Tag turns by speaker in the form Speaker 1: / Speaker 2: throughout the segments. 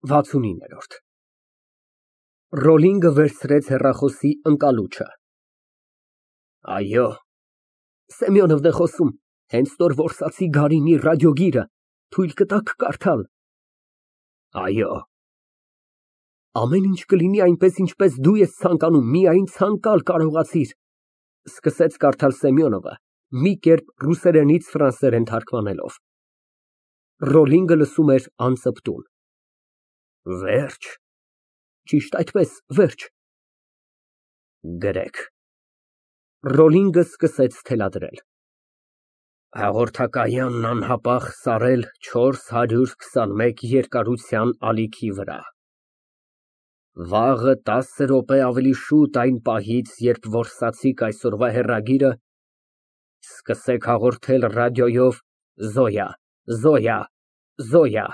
Speaker 1: 69։ Ռոլինգը վերցրեց հեռախոսի ընկալուչը։ Այո։ Սեմյոնովն է խոսում, հենց նոր որսացի Գարինի ռադիոգիրը, թույլ կտաք կարդալ։ Այո։ Ամեն ինչ կլինի այնպես, ինչպես դու ես ցանկանում, միայն ցանկալ կարողացիր, սկսեց կարդալ Սեմյոնովը, մի կերպ ռուսերենից ֆրանսերեն թարգմանելով։ Ռոլինգը լսում էր անծպտուն։ Վերջ։ Ճիշտ այդպես, վերջ։ Գրեք։ Ռոլինգը սկսեց թելադրել։ Հաղորդակայանն անհապաղ սարել 421 երկարության ալիքի վրա։ Վաղը 10 րոպե ավելի շուտ այն պահից, երբ որսացիք այսօրվա հեռագիրը, սկսեք հաղորդել ռադիոյով Զոյա, Զոյա, Զոյա։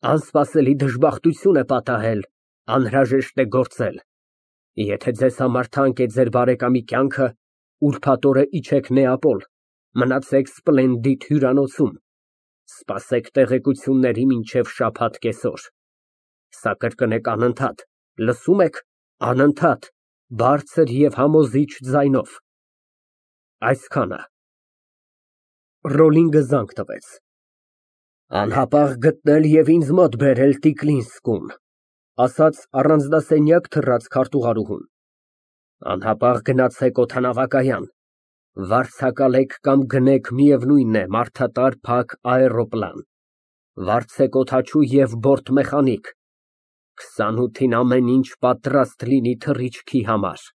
Speaker 1: Անսպասելի դժբախտություն է պատահել, անհրաժեշտ է գործել։ Եթե ձեզ համար թանկ է ձեր բարեկամի կյանքը, ուրբաթ օրը իջեք Նեապոլ, մնացեք Սպլենդիդ հյուրանոցում, սպասեք տեղեկությունների մինչև շաբաթ կեսօր։ Սա կրկնեք անընդհատ, լսում եք, անընդհատ, բարձր և համոզիչ ձայնով։ Այսքանը։ Ռոլինգը զանգ տվեց։ Անհապաղ գտնել և ինձ մոտ բերել Տիկլինսկուն, ասաց առանձնասենյակ թռած քարտուղարուհուն։ Անհապաղ գնացեք օդանավակայան, վարձակալեք կամ գնեք միևնույն է մարդատար փակ աէրոպլան, վարձեք օդաչու և բորտմեխանիկ, 28-ին ամեն ինչ պատրաստ լինի թռիչքի համար։